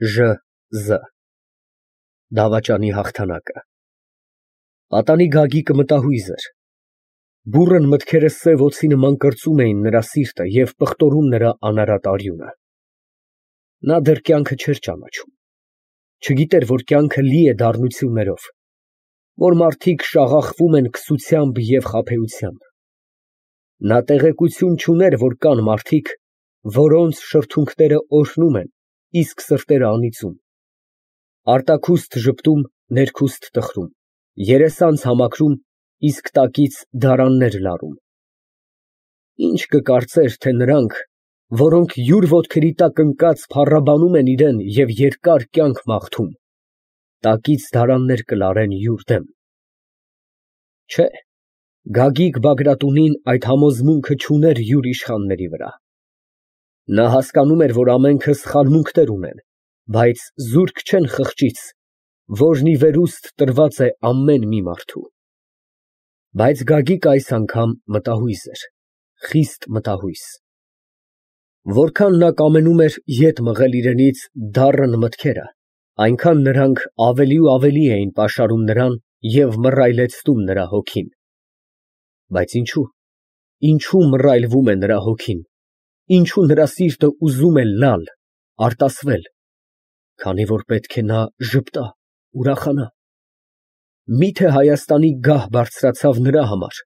Ժ դավաճանի հաղթանակը։ Պատանի Գագիկը մտահույզ էր։ Բուռն մտքերը սև օձի նման կրծում էին նրա սիրտը և պղտորում նրա անարատ արյունը։ Նա դեռ կյանքը չէր ճանաչում, չգիտեր, որ կյանքը լի է դառնություններով, որ մարդիկ շաղախվում են քսությամբ և խաբեությամբ։ Նա տեղեկություն չուներ, որ կան մարդիկ, որոնց շրթունքները օրհնում են, իսկ սրտերը անիծում, արտաքուստ ժպտում, ներքուստ տխրում, երեսանց համակրում, իսկ տակից դարաններ լարում։ Ինչ կկարծեր, թե նրանք, որոնք յուր ոտքերի տակ ընկած փառաբանում են իրան և երկար կյանք մաղթում, տակից դարաններ կլարեն յուր դեմ։ Չէ, Գագիկ Բագրատունին այդ համոզմունքը չուներ յուր իշխանների վրա։ Նա հասկանում էր, որ ամենքը սխալմունքներ ունեն, բայց զուրկ չեն խղճից, որն ի վերուստ տրված է ամեն մի մարդու։ Բայց Գագիկը այս անգամ մտահույզ էր, խիստ մտահույզ։ Որքան նա կամենում էր ետ մղել իրենից դառն մտքերը, այնքան նրանք ավելի ու ավելի էին պաշարում նրան և մռայլեցնում նրա հոգին։ Բայց ինչու մռայլվում է նրա հոգին, ինչու նրա սիրտը ուզում է լալ, արտասվել, քանի որ պետք է նա ժպտա, ուրախանա։ Միթե Հայաստանի գահ բարձրացավ նրա համար,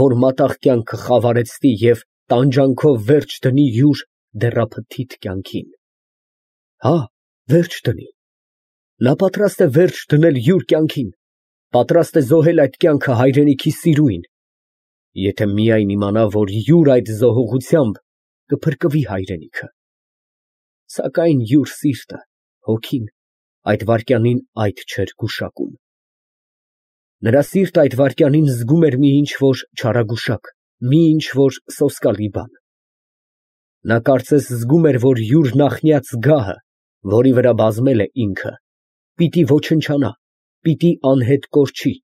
որ մատաղ կյանքը խավարեցնի և տանջանքով վերջ դնի յուր դեռափթիթ կյանքին։ Հա, վերջ դնի։ Նա պատրաստ է վերջ դնել յուր կյանքին, պատրաստ է զոհել այդ կյանքը հայրենիքի սիրուին, եթե միայն իմանա, որ յուր այդ զոհողությամբ կփրկվի հայրենիքը։ Սակայն յուր սիրտը, հոգին այդ վայրկյանին այդ չէր գուշակում։ Նրա սիրտը այդ վայրկյանին զգում էր մի ինչ֊որ չարագուշակ, մի ինչ֊որ սոսկալի բան։ Նա կարծես զգում էր, որ յուր նախնյաց գահը, որի վրա բազմել է ինքը, պիտի ոչնչանա, պիտի անհետ կորչի,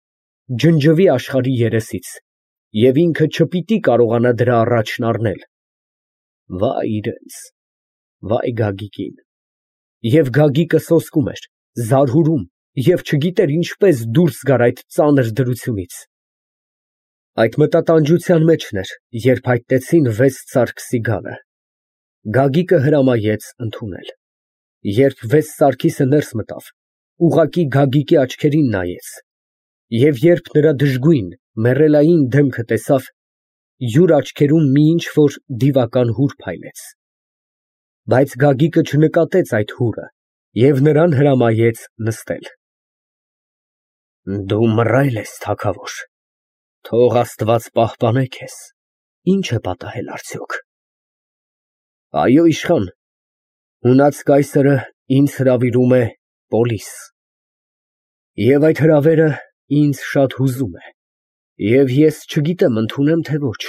ջնջվի աշխարհի երեսից, և ինքը չպիտի կարողանա դրա առաջն առնել։ Վայ իրենց, վայ Գագիկին։ Եվ Գագիկը սոսկում էր, զարհուրում և չգիտեր ինչպես դուրս գար այդ ծանր դրությունից։ Այդ մտատանջության մեջն էր, երբ հայտնեցին վեց սարգսի գալը։ Գագիկը հրամայեց ընդունել։ Երբ վեց սարգիսը ներս մտավ, ուղղակի Գագիկի աչքերին նայեց, և երբ նրա դժգույն, մեռելային դեմքը տեսավ, յուր աչքերում մի ինչ֊որ դիվական հուր փայլեց։ Բայց Գագիկը չնկատեց այդ հուրը և նրան հրամայեց նստել։ Դու մռայլ ես, թագավոր, թող Աստված պահպանե քեզ, ի՞նչ է պատահել արդյոք։ Այո, իշխան, ունած կայսրը ինձ հրավիրում է պոլիս, և այդ հրավերը ինձ շատ հուզում է, և ես չգիտեմ ընդունեմ, թե ոչ։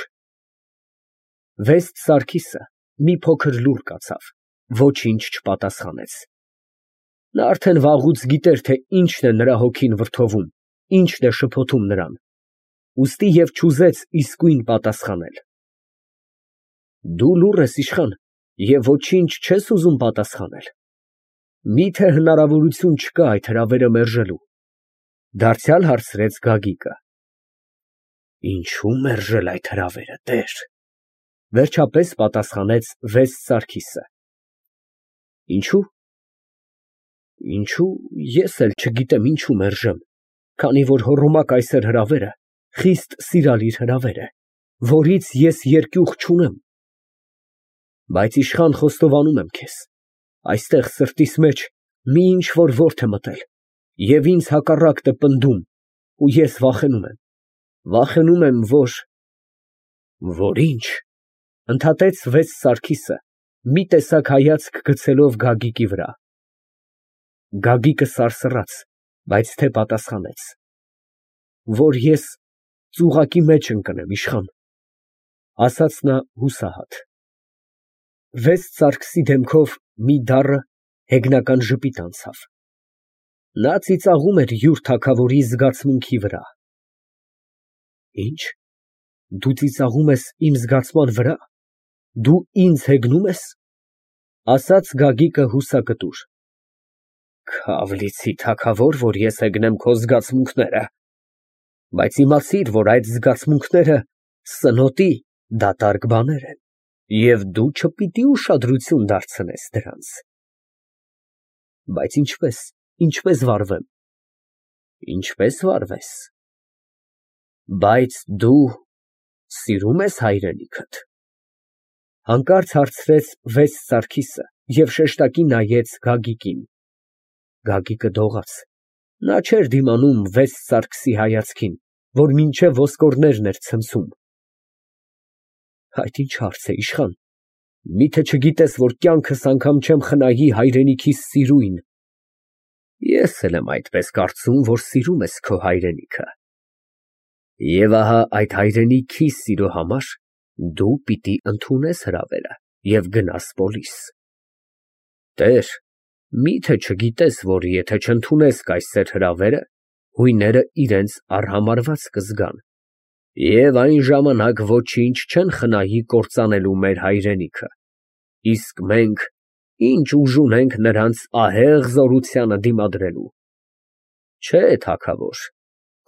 Վեստ Սարգիսը մի փոքր լուռ կացավ, ոչինչ չպատասխանեց։ Նա արդեն վաղուց գիտեր, թե ինչն է նրա հոգին վրդովում, ինչն է շփոթում նրան, ուստի և չուզեց իսկույն պատասխանել։ Դու լուռ ես, իշխան, և ոչինչ չես ուզում պատասխանել։ Միթե հնարավորություն չկա այդ հրավերը մերժելու, դարձյալ հարցրեց Գագիկը։ Ինչո՞ւ մերժել այդ հրավերը, տեր, վերջապես պատասխանեց վեստ Սարգիսը։ Ինչո՞ւ։ Ինչո՞ւ, ես էլ չգիտեմ ինչու մերժեմ, քանի որ Հոռոմա կայսեր հրավերը խիստ սիրալիր հրավեր է, որից ես երկյուղ չունեմ։ Բայց իշխան, խոստովանում եմ քեզ, այստեղ սրտիս մեջ մի ինչ֊որ որդ է մտել, և ինձ հակառակն է պնդում, ու ես վախենում եմ, որ ինչ, ընդհատեց վեց Սարգիսը, մի տեսակ հայացք գցելով Գագիկի վրա։ Գագիկը սարսռաց, բայց թե պատասխանեց։ Որ ես ծուղակի մեջ ընկնեմ, իշխան, ասաց նա հուսահատ։ Վեստ Սարգսի դեմքով մի դառը, հեգնական ժպիտ անցավ։ Նա ծիծաղում էր յուր թագավորի զգացմունքի վրա։ Ինչ, դու ծիծաղում ես իմ զգացման վրա, դու ինձ հեգնու՞մ ես, ասաց Գագիկը հուսակտուր։ Քավլիցի թագավոր, որ ես հեգնեմ քո զգացմունքները, բայց իմացիր, որ այդ զգացմունքները սնոտի դատարկ բաներ են, և դու չպիտի ուշադրություն դարձնես դրանց։ Բայց ինչպես վարվեմ։ Ինչպես վարվես։ Բայց դու սիրում ես հայրենիքդ։ Հանկարծ հարցրեց վեց Սարգիսը և շեշտակի նայեց Գագիկին։ Գագիկը դողաց։ Նա չէր դիմանում վեց Սարգսի հայացքին, որ մինչև ոսկորներն էր ցնցում։ Այդ ինչ հարց է, իշխան, միթե չգիտես, որ կյանքս անգամ չեմ խնայի հայրենիքիս սիրույն։ Ես էլ եմ այդպես կարծում, որ սիրում ես քո հայրենիքը։ Եվ ահա այդ հայրենիքի սիրո համար դու պիտի ընդունես հրավերը և գնաս պոլիս։ Տեր, միթե չգիտես, որ եթե չընդունես կայսեր հրավերը, հույները իրենց արհամարհված կզգան, և այն ժամանակ ոչինչ չեն խնայի կործանելու մեր հայրենիքը, իսկ մենք ինչ ուժ ունենք նրանց ահեղ զորությանը դիմադրելու։ Չէ, թագավոր,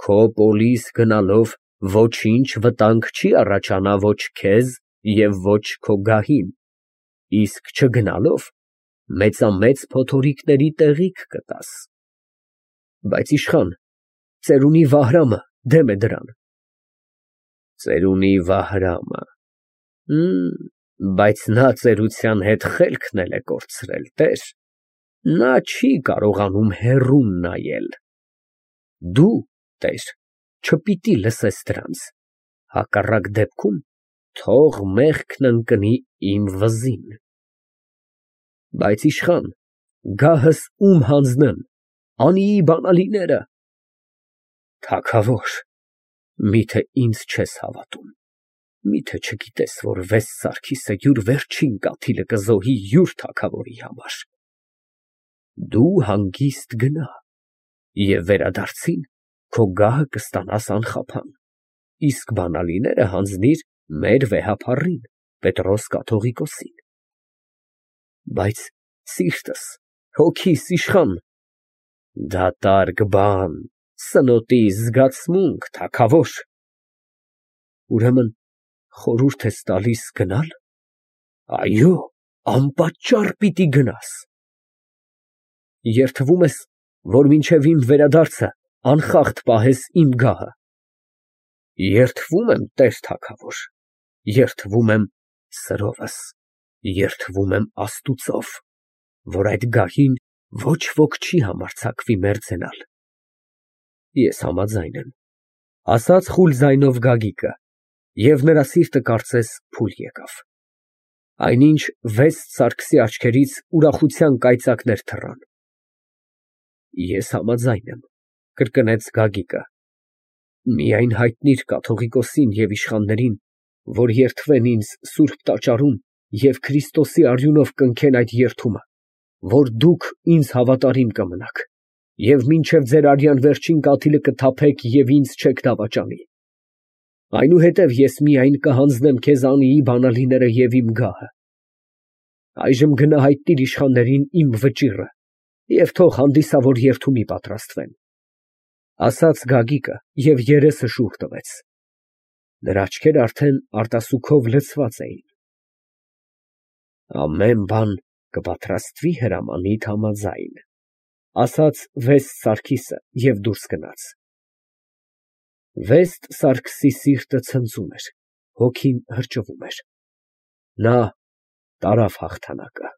քո պոլիս գնալով ոչինչ վտանգ չի առաջանա ոչ քեզ և ոչ քո գահին, իսկ չգնալով մեծամեծ փոթորիկների տեղիք կտաս։ Բայց իշխան, ծերունի Վահրամը դեմ է դրան։ Ծերունի Վահրամը, բայց նա ծերության հետ խելքն էլ է կորցրել, տեր, նա չի կարողանում հեռուն նայել։ Դու, տեր, չպիտի լսես դրանց, հակառակ դեպքում թող մեղքն ընկնի իմ վզին։ Բայց իշխան, գահս ում հանձնեմ, անիի բանալիները։ Թագավոր, միթե ինձ չես հավատում, միթե չգիտես, որ վեց Սարգիսը յուր վերջին կաթիլը կզոհի յուր թագավորի համար։ Դու հանգիստ գնա և վերադարձին քո գահը կստանաս անխափան, իսկ բանալիները հանձնիր մեր վեհափառին Պետրոս կաթողիկոսին։ Բայց սիրտս, հոգիս, իշխան, դատարկ բան, սնոտի զգացմունք, թագավոր։ Ուրեմն խորհուրդ ես տալիս գնալ։ Այո, անպատճառ պիտի գնաս։ Երդվում ես, որ մինչև իմ վերադարձը անխախտ պահես իմ գահը։ Երդվում եմ, տեր թագավոր, երդվում եմ սրովս, երդվում եմ Աստուծով, որ այդ գահին ոչ ոք չի համարձակվի մերձենալ։ Ես համաձայն եմ, ասաց խուլ ձայնով Գագիկը, և նրա սիրտը կարծես փուլ եկավ։ Այնինչ վեց Սարգսի աչքերից ուրախության կայծակներ թռան։ Ես համաձայն եմ, կրկնեց Գագիկը, միայն հայտնիր կաթողիկոսին և իշխաններին, որ երդվեն ինձ սուրբ տաճարում և Քրիստոսի արյունով կնքեն այդ երդումը, որ դուք ինձ հավատարիմ կմնաք և մինչև ձեր արյան վերջին կաթիլը կթափեք և ինձ չեք դավաճանի։ Այնուհետև ես միայն կհանձնեմ քեզ անիի բանալիները և իմ գահը։ Այժմ գնա հայտնիր իշխաններին իմ վճիռը և թող հանդիսավոր երդումի պատրաստվեն։ Ասաց Գագիկը և երեսը շուռ տվեց։ Նրա աչքերը արդեն արտասուքով լցված էին։ Ամեն բան կպատրաստվի հրամանիդ համաձայն, ասաց վեց Սարգիսը և դուրս գնաց։ Վեց Սարգսի սիրտը ցնծում էր, հոգին հրճվում էր։ Նա տարավ հաղթանակը։